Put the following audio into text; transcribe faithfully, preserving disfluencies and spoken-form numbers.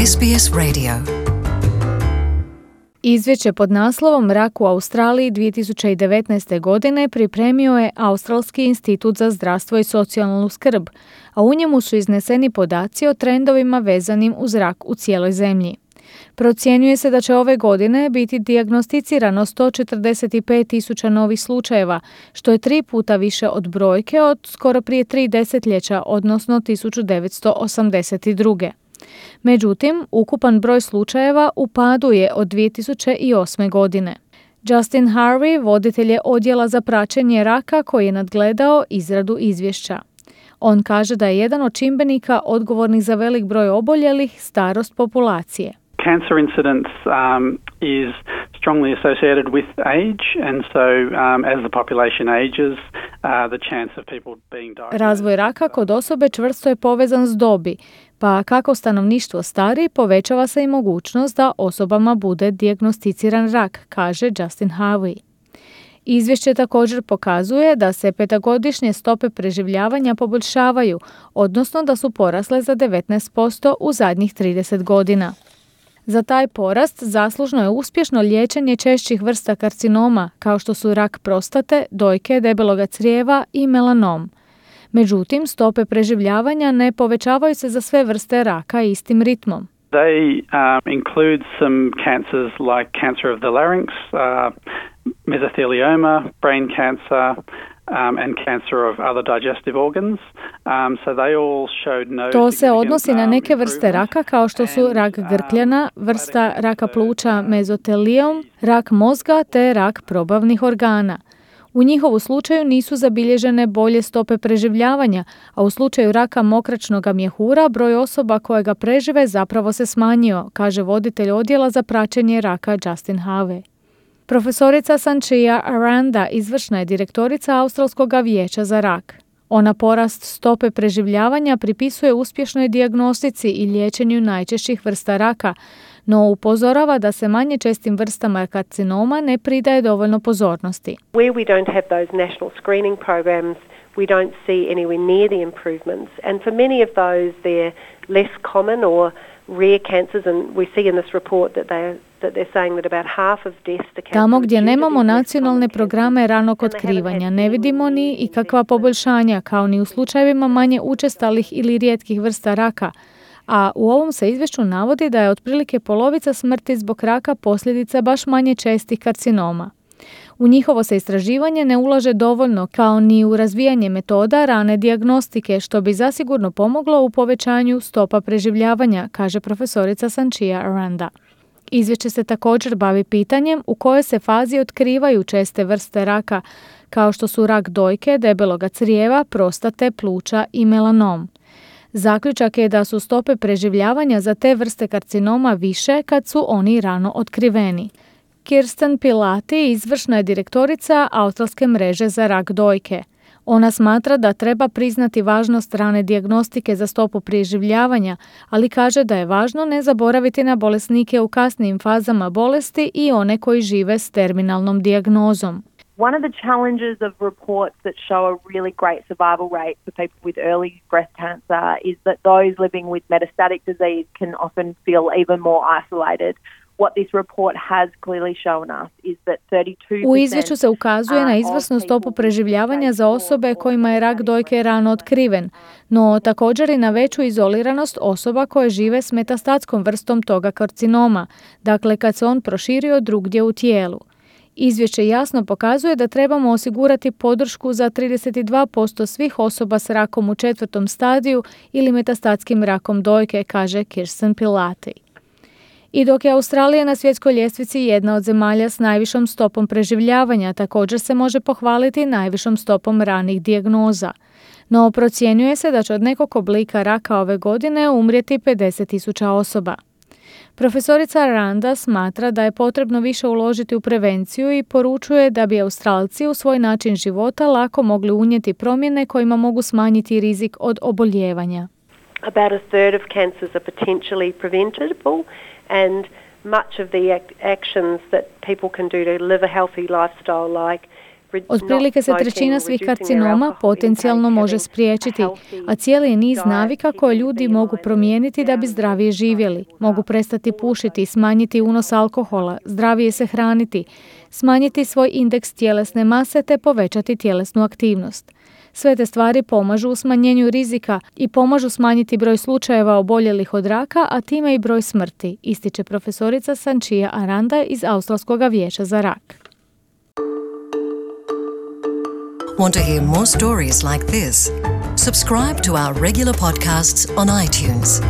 S B S Radio. Izvješće pod naslovom Rak u Australiji dvije tisuće devetnaeste. godine pripremio je Australski institut za zdravstvo i socijalnu skrb, a u njemu su izneseni podaci o trendovima vezanim uz rak u cijeloj zemlji. Procjenjuje se da će ove godine biti dijagnosticirano sto četrdeset pet tisuća novih slučajeva, što je tri puta više od brojke od skoro prije tri desetljeća, odnosno tisuću devetsto osamdeset druge. Međutim, ukupan broj slučajeva u padu je od dvije tisuće osme. godine. Justin Harvey, voditelj je odjela za praćenje raka koji je nadgledao izradu izvješća. On kaže da je jedan od čimbenika odgovornih za velik broj oboljelih starost populacije. Cancer incidence um, is strongly associated with age, and so um, as the population ages, uh, the chance of people being diagnosed. Razvoj raka kod osobe čvrsto je povezan s dobi, pa kako stanovništvo stari, povećava se i mogućnost da osobama bude dijagnosticiran rak, kaže Justin Harvey. Izvješće također pokazuje da se petogodišnje stope preživljavanja poboljšavaju, odnosno da su porasle za devetnaest posto u zadnjih trideset godina. Za taj porast zaslužno je uspješno liječenje češćih vrsta karcinoma, kao što su rak prostate, dojke, debeloga crijeva i melanom. Međutim, stope preživljavanja ne povećavaju se za sve vrste raka istim ritmom. They um, include some cancers like cancer of the larynx, uh, mesothelioma, brain cancer, Um, and cancer of other digestive organs. Um, so they all showed no To se odnosi significant, na um, neke vrste raka kao što su rak grkljana, vrsta raka pluća mezotelijom, rak mozga te rak probavnih organa. U njihovu slučaju nisu zabilježene bolje stope preživljavanja, a u slučaju raka mokraćnog mjehura broj osoba koje ga prežive zapravo se smanjio, kaže voditelj odjela za praćenje raka Justin Harvey. Profesorica Sanchia Aranda izvršna je direktorica Australskog vijeća za rak. Ona porast stope preživljavanja pripisuje uspješnoj dijagnostici i liječenju najčešćih vrsta raka, no upozorava da se manje čestim vrstama karcinoma ne pridaje dovoljno pozornosti. Where we don't have those national screening programs, we don't see anywhere near the improvements, and for many of those they're less common or rare cancers, and we see in this report that they that they're saying that about half of deaths to cancer. Tamo gdje nemamo nacionalne programe ranog otkrivanja, ne vidimo ni i kakva poboljšanja, kao ni u slučajevima manje učestalih ili rijetkih vrsta raka. A u ovom se izvješću navodi da je otprilike polovica smrti zbog raka posljedica baš manje čestih karcinoma. U njihovo se istraživanje ne ulaže dovoljno, kao ni u razvijanje metoda rane dijagnostike, što bi zasigurno pomoglo u povećanju stopa preživljavanja, kaže profesorica Sanchia Aranda. Izvješće se također bavi pitanjem u kojoj se fazi otkrivaju česte vrste raka, kao što su rak dojke, debeloga crijeva, prostate, pluća i melanom. Zaključak je da su stope preživljavanja za te vrste karcinoma više kad su oni rano otkriveni. Kirsten Pilati izvršna je direktorica Australske mreže za rak dojke. Ona smatra da treba priznati važnost rane dijagnostike za stopu preživljavanja, ali kaže da je važno ne zaboraviti na bolesnike u kasnijim fazama bolesti i one koji žive s terminalnom dijagnozom. One of the challenges of reports that show a really great survival rate for people with early breast cancer is that those living with metastatic disease can often feel even more isolated. What this report has clearly shown us is that thirty-two percent U izvješću se ukazuje na izvrsnu stopu preživljavanja za osobe kojima je rak dojke rano otkriven, no također i na veću izoliranost osoba koje žive s metastatskom vrstom toga karcinoma, dakle kad se on proširio drugdje u tijelu. Izvješće jasno pokazuje da trebamo osigurati podršku za trideset dva posto svih osoba s rakom u četvrtom stadiju ili metastatskim rakom dojke, kaže Kirsten Pilati. I dok je Australija na svjetskoj ljestvici jedna od zemalja s najvišom stopom preživljavanja, također se može pohvaliti najvišom stopom ranih dijagnoza. No procjenjuje se da će od nekog oblika raka ove godine umrijeti pedeset tisuća osoba. Profesorica Aranda smatra da je potrebno više uložiti u prevenciju i poručuje da bi Australci u svoj način života lako mogli unijeti promjene kojima mogu smanjiti rizik od oboljevanja. About a third of cancers are potentially preventable, and much of the act- actions that people can do to live a healthy lifestyle, like Otprilike se trećina svih karcinoma potencijalno može spriječiti, a cijeli je niz navika koje ljudi mogu promijeniti da bi zdravije živjeli. Mogu prestati pušiti, smanjiti unos alkohola, zdravije se hraniti, smanjiti svoj indeks tjelesne mase te povećati tjelesnu aktivnost. Sve te stvari pomažu u smanjenju rizika i pomažu smanjiti broj slučajeva oboljelih od raka, a time i broj smrti, ističe profesorica Sanchia Aranda iz Australskog vijeća za rak. Want to hear more stories like this? Subscribe to our regular podcasts on iTunes.